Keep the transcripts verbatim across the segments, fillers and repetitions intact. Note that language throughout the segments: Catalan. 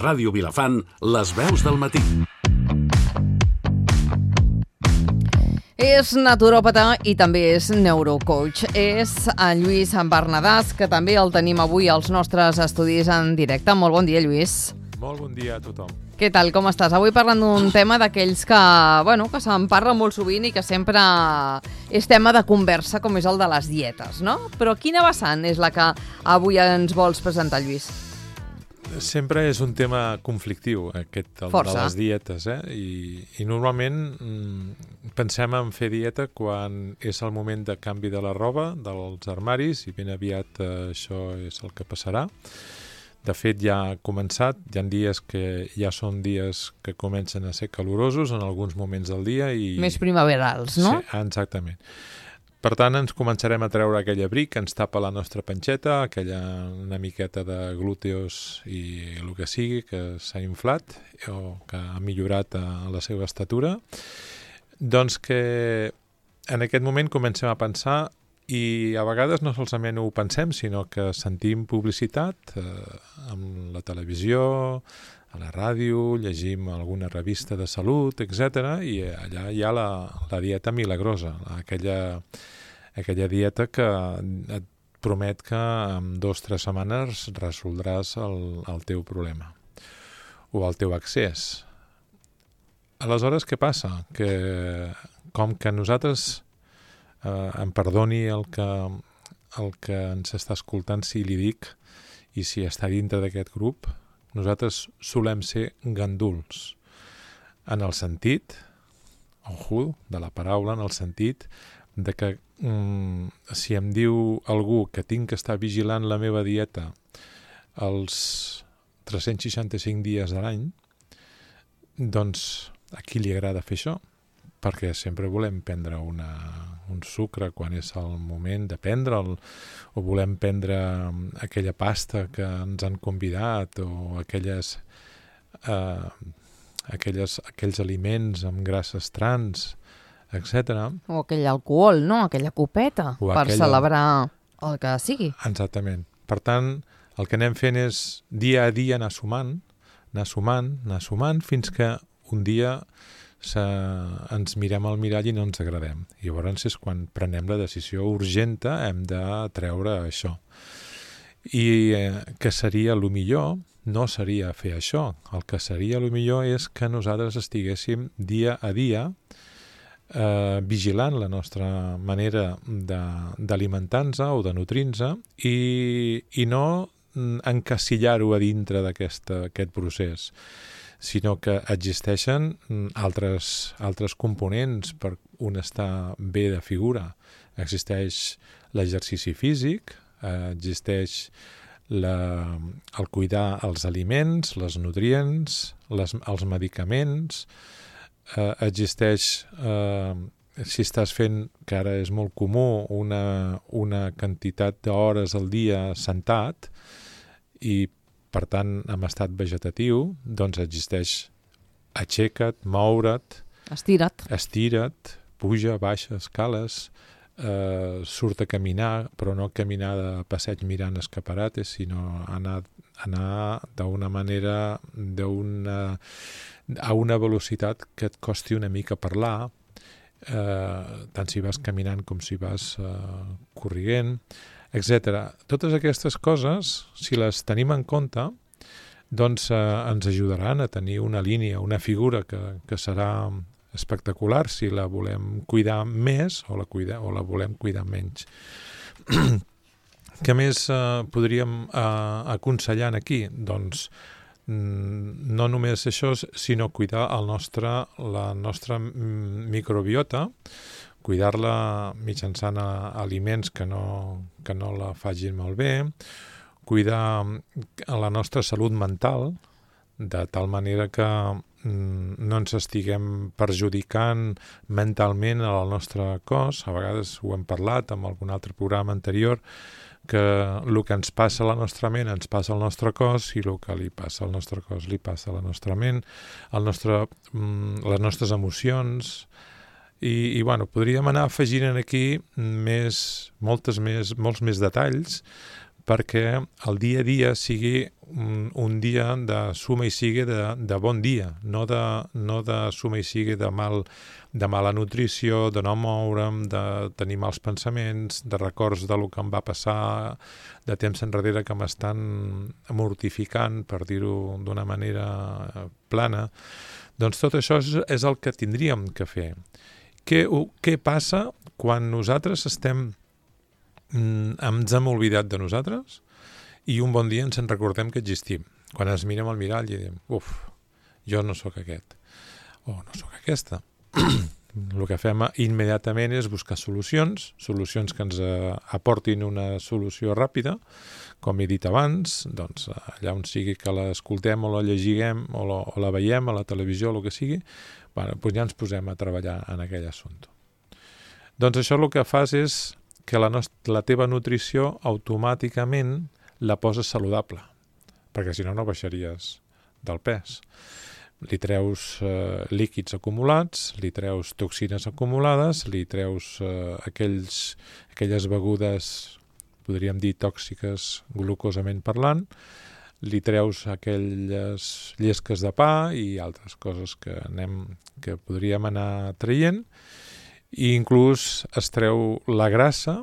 Ràdio Vilafant, les veus del matí. És naturòpata i també és neurocoach. És en Lluís Bernadàs, que també el tenim avui als nostres estudis en directe. Molt bon dia, Lluís. Molt bon dia a tothom. Què tal, com estàs? Avui parlant d'un tema d'aquells que, bueno, que se'n parla molt sovint i que sempre és tema de conversa, com és el de les dietes, no? Però quina vessant és la que avui ens vols presentar, Lluís? Sempre és un tema conflictiu, aquest, el Força. de les dietes, eh? I, i normalment mm, pensem en fer dieta quan és el moment de canvi de la roba, dels armaris, i ben aviat eh, això és el que passarà. De fet, ja ha començat, hi ha dies que ja són dies que comencen a ser calorosos en alguns moments del dia. I... Més primaverals, no? Sí, exactament. Per tant, ens començarem a treure aquell abric que ens tapa la nostra panxeta, aquella una miqueta de glúteos i el que sigui que s'ha inflat o que ha millorat a la seva estatura. Doncs que en aquest moment comencem a pensar, i a vegades no solament ho pensem, sinó que sentim publicitat eh, amb la televisió, a la ràdio, llegim alguna revista de salut, etcètera, i allà hi ha la, la dieta milagrosa, aquella, aquella dieta que et promet que en dues o tres setmanes resoldràs el, el teu problema o el teu accés. Aleshores, què passa? Que com que nosaltres, eh, em perdoni el que, el que ens està escoltant si li dic i si està dintre d'aquest grup, nosaltres solem ser ganduls, en el sentit, ojo, de la paraula, en el sentit de que mm, si em diu algú que tinc que estar vigilant la meva dieta els tres-cents seixanta-cinc dies de l'any, doncs a qui li agrada fer això? Perquè sempre volem prendre una, un sucre quan és el moment de prendre'l, o volem prendre aquella pasta que ens han convidat, o aquelles, eh, aquelles, aquells aliments amb grasses trans, etcètera. O aquell alcohol, no? Aquella copeta, O per aquella... celebrar el que sigui. Exactament. Per tant, el que anem fent és dia a dia anar sumant, anar sumant, anar sumant, fins que un dia Se, ens mirem al mirall i no ens agradem. I llavors és quan prenem la decisió urgenta, hem de treure això. I eh, què seria el millor? No seria fer això. El que seria el millor és que nosaltres estiguéssim dia a dia eh, vigilant la nostra manera d'alimentar-nos o de nutrir-nos i, i no encasillar-ho a dintre d'aquest procés, sinó que existeixen altres, altres components per un estar bé de figura. Existeix l'exercici físic, eh, existeix la, el cuidar els aliments, les nutrients, les, els medicaments, eh, existeix, eh, si estàs fent, que ara és molt comú, una, una quantitat d'hores al dia sentat, i per tant, en estat vegetatiu, doncs existeix aixeca't, moure't, Estira't. estira't, puja, baixa, escales, eh, surt a caminar, però no caminar de passeig mirant escaparates, sinó anar, anar d'una manera, d'una, a una velocitat que et costi una mica parlar, eh, tant si vas caminant com si vas eh, corrient, etcètera. Totes aquestes coses, si les tenim en compte, doncs eh, ens ajudaran a tenir una línia, una figura que, que serà espectacular si la volem cuidar més o la, cuida, o la volem cuidar menys. Què més eh, podríem eh, aconsellar aquí? Doncs mm, no només això, sinó cuidar el nostre, la nostra microbiota, cuidar-la mitjançant aliments que no, que no la facin malbé, cuidar la nostra salut mental, de tal manera que mm, no ens estiguem perjudicant mentalment al nostre cos. A vegades ho hem parlat en algun altre programa anterior, que el que ens passa a la nostra ment ens passa al nostre cos, i el que li passa al nostre cos li passa a la nostra ment, el nostre, mm, les nostres emocions. I, i bueno, podríem anar afegint aquí més, moltes més, molts més detalls, perquè el dia a dia sigui un, un dia de suma i sigue de, de bon dia, no de, no de suma i sigue de, mal, de mala nutrició, de no moure'm, de tenir mals pensaments, de records de lo que em va passar de temps enrere que m'estan mortificant, per dir-ho d'una manera plana. Doncs tot això és, és el que tindríem que fer. Què, què passa quan nosaltres estem ens hem oblidat de nosaltres i un bon dia ens en recordem que existim. Quan ens mirem al mirall i diem, uf, jo no sóc aquest, o no sóc aquesta. El que fem immediatament és buscar solucions, solucions que ens aportin una solució ràpida, com he dit abans, doncs allà on sigui que l'escoltem o la llegiguem o la, o la veiem a la televisió o el que sigui, bueno, doncs ja ens posem a treballar en aquell assumpte. Doncs això el que fas és que la, nostra, la teva nutrició automàticament la poses saludable, perquè si no, no baixaries del pes. Li treus eh, líquids acumulats, li treus toxines acumulades, li treus eh, aquells, aquelles begudes, podríem dir, tòxiques glucosament parlant, li treus aquelles llesques de pa i altres coses que, anem, que podríem anar traient, i inclús es treu la grassa.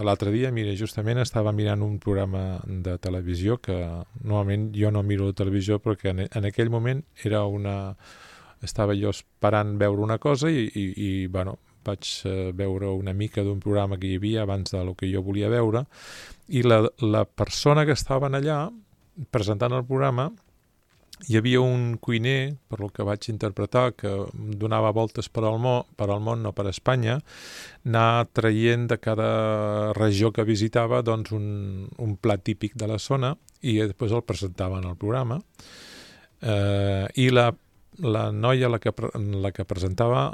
L'altre dia, mira, justament estava mirant un programa de televisió que normalment jo no miro la televisió perquè en, en aquell moment era una... estava jo esperant veure una cosa i, i, i bueno, vaig veure una mica d'un programa que hi havia abans del que jo volia veure i la, la persona que estaven allà presentant el programa, hi havia un cuiner, per el que vaig interpretar, que donava voltes per al, món, per al món, no per a Espanya, anar traient de cada regió que visitava doncs, un, un plat típic de la zona i després el presentava en el programa. Eh, I la, la noia la que, la que presentava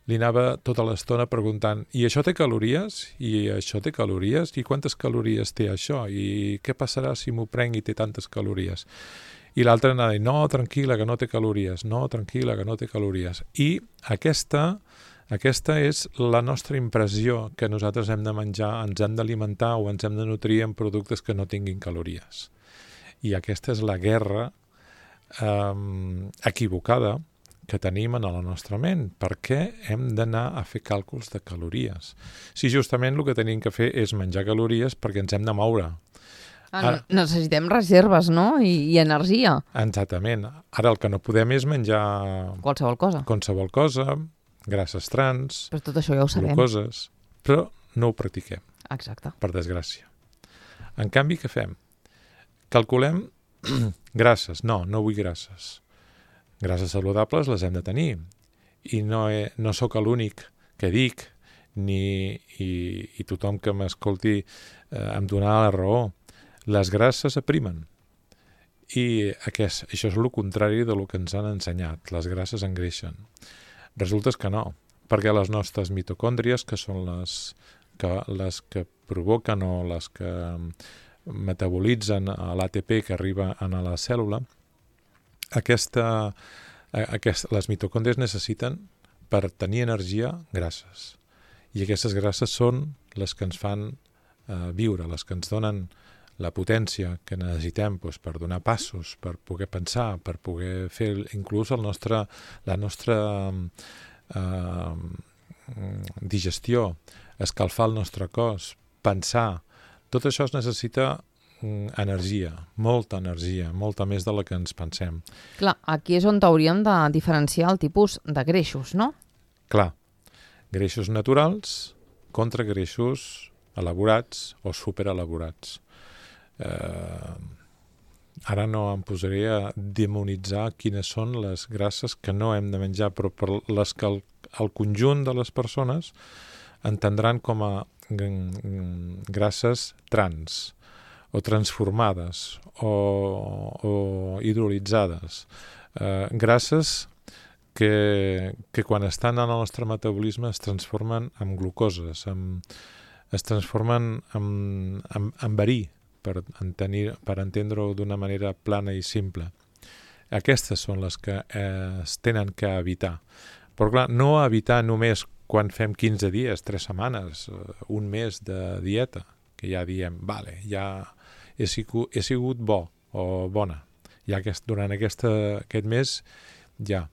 li anava tota l'estona preguntant i això té calories? I això té calories? I quantes calories té això? I què passarà si m'ho prenc i té tantes calories? I l'altre anava a dir, no, tranquil·la, que no té calories, no, tranquil·la, que no té calories. I aquesta, aquesta és la nostra impressió que nosaltres hem de menjar, ens hem d'alimentar o ens hem de nutrir amb productes que no tinguin calories. I aquesta és la guerra eh, equivocada que tenim en la nostra ment. Per què hem d'anar a fer càlculs de calories? Si justament el que tenim que fer és menjar calories perquè ens hem de moure. Ara, necessitem reserves, no? I, i energia. Exactament. Ara el que no podem és menjar... Qualsevol cosa. Qualsevol cosa, grasses trans, però tot això ja ho sabem. Glucoses, però no ho practiquem. Exacte. Per desgràcia. En canvi, què fem? Calculem grasses. No, no vull grasses. Grasses saludables les hem de tenir. I no, he, no sóc l'únic que dic, ni, i, i tothom que m'escolti eh, em donarà la raó. Les grasses aprimen i aquest, això és el contrari de lo que ens han ensenyat. Les grasses engreixen. Resulta que no, perquè les nostres mitocòndries, que són les que, les que provoquen o les que metabolitzen l'A T P que arriba a la cèl·lula, aquesta, aquesta, les mitocòndries necessiten per tenir energia grasses. I aquestes grasses són les que ens fan eh, viure, les que ens donen la potència que necessitem doncs, per donar passos, per poder pensar, per poder fer inclús el nostre, la nostra eh, digestió, escalfar el nostre cos, pensar. Tot això es necessita energia, molta energia, molta més de la que ens pensem. Clar, aquí és on hauríem de diferenciar el tipus de greixos, no? Clar, greixos naturals contra greixos elaborats o superelaborats. Eh, ara no em posaré a demonitzar quines són les grasses que no hem de menjar, però per les que el, el conjunt de les persones entendran com a grasses trans o transformades o, o hidrolitzades. Eh, grasses que, que quan estan en el nostre metabolisme es transformen en glucoses, en, es transformen en, en, en verí, per, entenir, per entendre-ho d'una manera plana i simple. Aquestes són les que eh, es tenen que evitar. Però clar, no evitar només quan fem quinze dies, tres setmanes, un mes de dieta, que ja diem, vale, ja he sigut, he sigut bo o bona. Ja aquest, durant aquesta, aquest mes ja,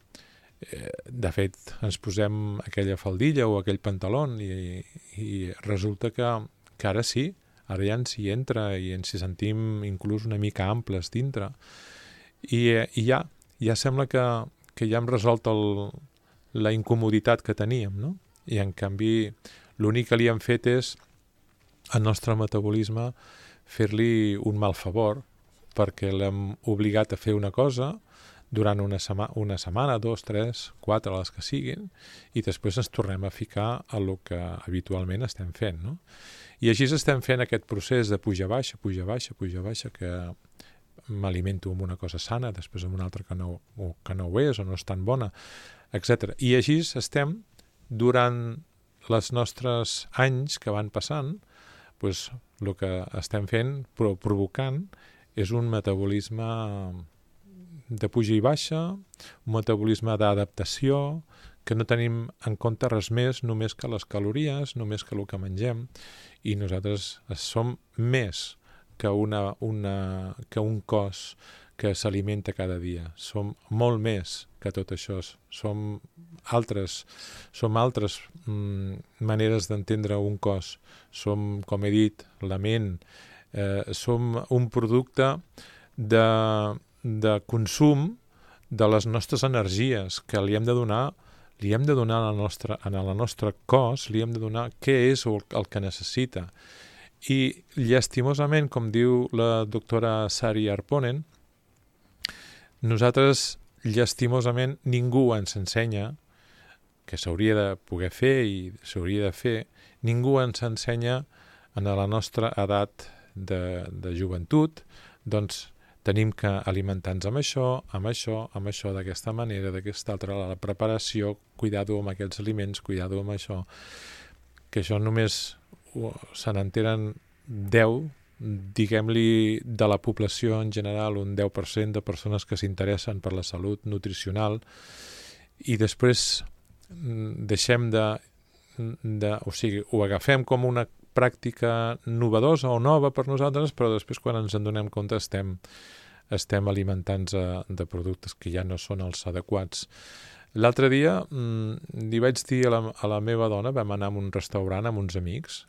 eh, de fet, ens posem aquella faldilla o aquell pantaló i, i resulta que, que ara sí, ara ja ens hi entra i ens hi sentim inclús una mica amples dintre. I, i ja, ja sembla que, que ja hem resolt el, la incomoditat que teníem, no? I en canvi l'únic que li hem fet és al nostre metabolisme fer-li un mal favor perquè l'hem obligat a fer una cosa durant una, sema una setmana, dos, tres, quatre, les que siguin, i després ens tornem a ficar a lo que habitualment estem fent, no? I així estem fent aquest procés de puja-baixa, puja-baixa, puja-baixa, que m'alimento amb una cosa sana, després amb una altra que no, o que no ho és o no és tan bona, etcètera. I així estem durant els nostres anys que van passant, doncs el que estem fent, però provocant, és un metabolisme de puja i baixa, un metabolisme d'adaptació, que no tenim en compte res més, només que les calories, només que el que mengem, i nosaltres som més que, una, una, que un cos que s'alimenta cada dia. Som molt més que tot això. Som altres, som altres mm, maneres d'entendre un cos. Som, com he dit, la ment. Eh, som un producte de, de consum de les nostres energies que li hem de donar li hem de donar al nostre, en el nostre cos, li hem de donar què és el, el que necessita. I llastimosament, com diu la doctora Sari Arponen, nosaltres, llastimosament, ningú ens ensenya, que s'hauria de poder fer i s'hauria de fer, ningú ens ensenya en la nostra edat de, de joventut, doncs tenim que alimentar-nos amb això, amb això, amb això, d'aquesta manera, d'aquesta altra, la preparació, cuidado amb aquests aliments, cuidado amb això, que això només se n'enteren deu, diguem-li, de la població en general, un deu per cent de persones que s'interessen per la salut nutricional, i després deixem de, de... O sigui, ho agafem com una pràctica novedosa o nova per nosaltres, però després quan ens en donem compte estem, estem alimentant-nos de productes que ja no són els adequats. L'altre dia mmm, li vaig dir a la, a la meva dona, vam anar a un restaurant amb uns amics,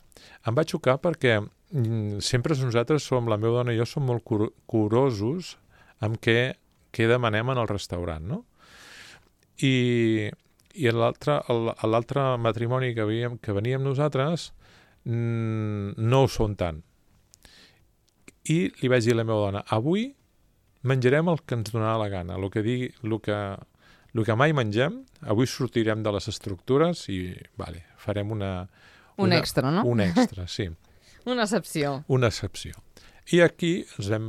em va xocar perquè mmm, sempre nosaltres som, la meva dona i jo som molt cur curosos amb què, què demanem en el restaurant, no? I, i l'altre matrimoni que, havíem, que veníem nosaltres no ho són tant. I li vaig dir a la meva dona, avui menjarem el que ens donarà la gana, el que, digui, el que, el que mai mengem, avui sortirem de les estructures i vale, farem una... Un una, extra, no? Un extra, sí. Una excepció. Una excepció. I aquí ens vam...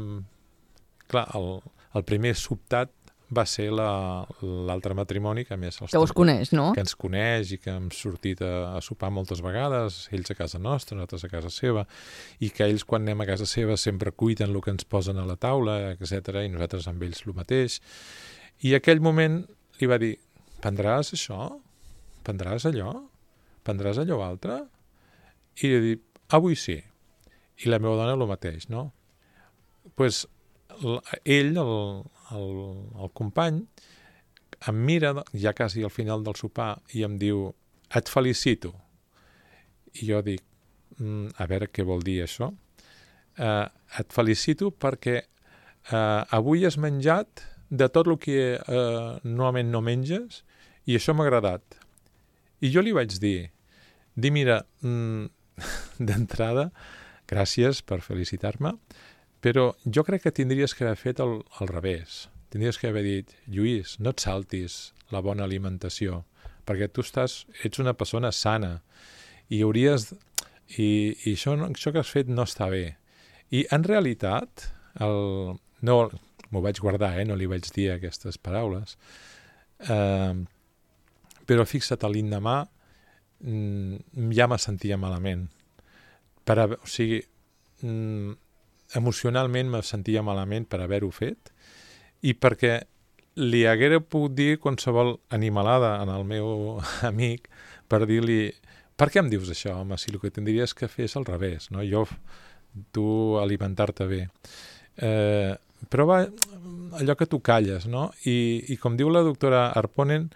Clar, el, el primer sobtat va ser l'altre la, matrimoni, que a més... Que us coneix, no? Que ens coneix i que hem sortit a, a sopar moltes vegades, ells a casa nostra, nosaltres a casa seva, i que ells quan anem a casa seva sempre cuiden el que ens posen a la taula, etcètera, i nosaltres amb ells el mateix. I aquell moment li va dir, prendràs això? Prendràs allò? Prendràs allò altre? I li dic, avui sí. I la meva dona el mateix, no? Doncs pues, ell, el, el, el company, em mira ja quasi al final del sopar i em diu, et felicito. I jo dic, mm, a veure què vol dir això. Uh, et felicito perquè uh, avui has menjat de tot el que uh, normalment no menges i això m'ha agradat. I jo li vaig dir, dir mira, mm, d'entrada, gràcies per felicitar-me, però jo crec que tindries que haver fet el, el revés. Tindries que haver dit, Lluís, no et saltis la bona alimentació, perquè tu estàs, ets una persona sana i hauries... I, i això, això que has fet no està bé. I en realitat, el, no, m'ho vaig guardar, eh, no li vaig dir aquestes paraules, eh, però fixa't, l'endemà ja me sentia malament. Per a, o sigui, emocionalment me sentia malament per haver-ho fet i perquè li haguera pogut dir qualsevol animalada en el meu amic per dir-li, per què em dius això, home, si el que tindries que fer és al revés, no? Jo tu alimentar-te bé. Eh, però va, allò que tu calles, no? I, i com diu la doctora Arponen,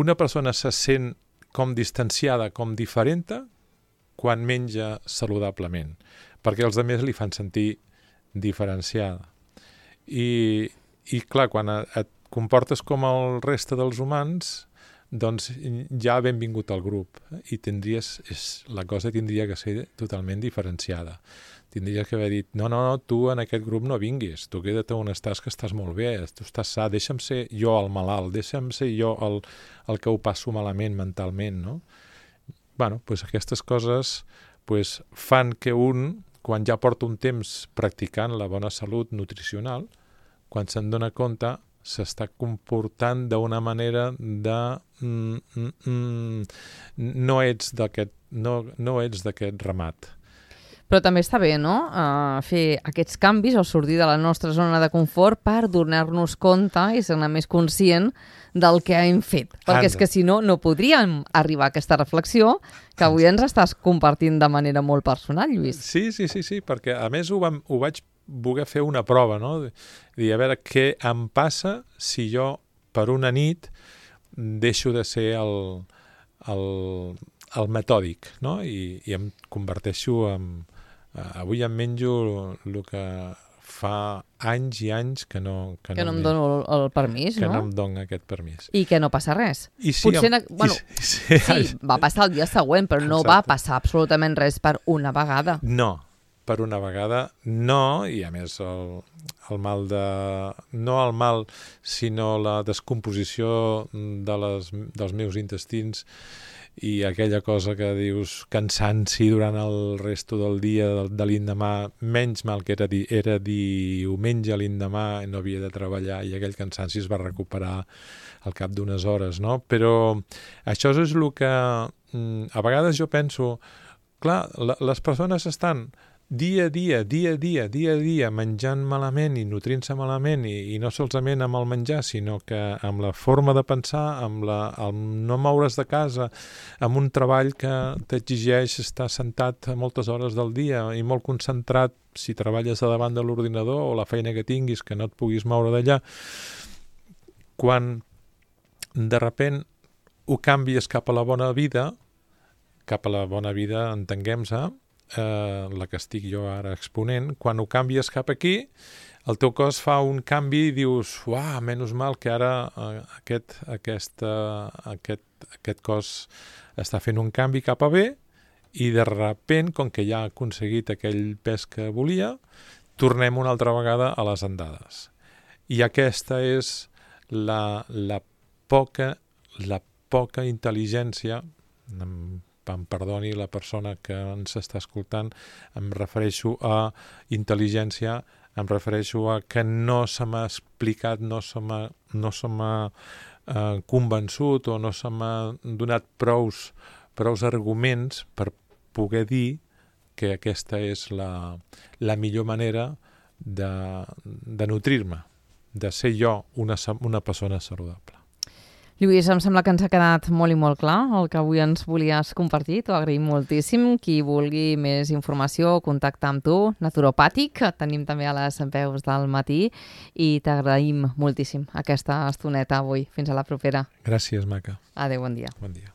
una persona se sent com distanciada, com diferenta, quan menja saludablement, perquè els altres li fan sentir diferenciada. I, i clar, quan et comportes com el reste dels humans, doncs ja ha benvingut al grup i tindries, és, la cosa tindria que ser totalment diferenciada. Tindries que haver dit, no, no, no, tu en aquest grup no vinguis, tu queda't on estàs, que estàs molt bé, tu estàs sa, deixa'm ser jo el malalt, deixa'm ser jo el, el que ho passo malament mentalment, no? Bueno, doncs aquestes coses doncs, fan que un, quan ja porta un temps practicant la bona salut nutricional, quan se'n dona compte, s'està comportant d'una manera de... Mm, mm, mm, no ets d'aquest no, no ets d'aquest ramat. Però també està bé, no?, uh, fer aquests canvis o sortir de la nostra zona de confort per donar-nos compte i ser més conscient del que hem fet. Perquè Anda. És que si no, no podríem arribar a aquesta reflexió que avui ens estàs compartint de manera molt personal, Lluís. Sí, sí, sí, sí, perquè a més ho, vam, ho vaig voler fer una prova, no? Dir, a veure què em passa si jo per una nit deixo de ser el, el, el metòdic, no? I, i em converteixo en... Uh, avui em menjo el que fa anys i anys que no... Que, que no, no em dono el, el permís, que no? Que no em dona aquest permís. I que no passa res. I sí, Potser, amb... bueno, I, sí, sí, va passar el dia següent, però no Exacte. Va passar absolutament res per una vegada. No, per una vegada no, i a més el, el mal de... No el mal, sinó la descomposició de les, dels meus intestins i aquella cosa que dius cansanci durant el resto del dia de, de l'endemà, menys mal que era, di, era diumenge l'endemà, no havia de treballar i aquell cansanci es va recuperar al cap d'unes hores, no? Però això és el que a vegades jo penso, clar, la, les persones estan dia a dia, dia a dia, dia a dia, menjant malament i nutrint-se malament, i, i no solament amb el menjar, sinó que amb la forma de pensar, amb, la, amb no moure's de casa, amb un treball que t'exigeix estar sentat moltes hores del dia i molt concentrat si treballes a davant de l'ordinador o la feina que tinguis, que no et puguis moure d'allà. Quan de repent ho canvies cap a la bona vida, cap a la bona vida, entenguem-se, Eh, la que estic jo ara exponent, quan ho canvies cap aquí, el teu cos fa un canvi i dius, uah, menys mal que ara eh, aquest, aquesta, aquest, aquest cos està fent un canvi cap a bé i de repent, com que ja ha aconseguit aquell pes que volia, tornem una altra vegada a les andades. I aquesta és la, la poca, la poca intel·ligència, em perdoni la persona que ens està escoltant, em refereixo a intel·ligència, em refereixo a que no se m'ha explicat, no se m'ha no se m'ha eh, convençut o no se m'ha donat prous, prous arguments per poder dir que aquesta és la, la millor manera de, de nutrir-me, de ser jo una, una persona saludable. Lluís, em sembla que ens ha quedat molt i molt clar el que avui ens volies compartir. T'ho agraïm moltíssim. Qui vulgui més informació, contacta amb tu. Naturopàtic, et tenim també a les veus del matí i t'agraïm moltíssim aquesta estoneta avui. Fins a la propera. Gràcies, maca. Adéu, bon dia. Bon dia.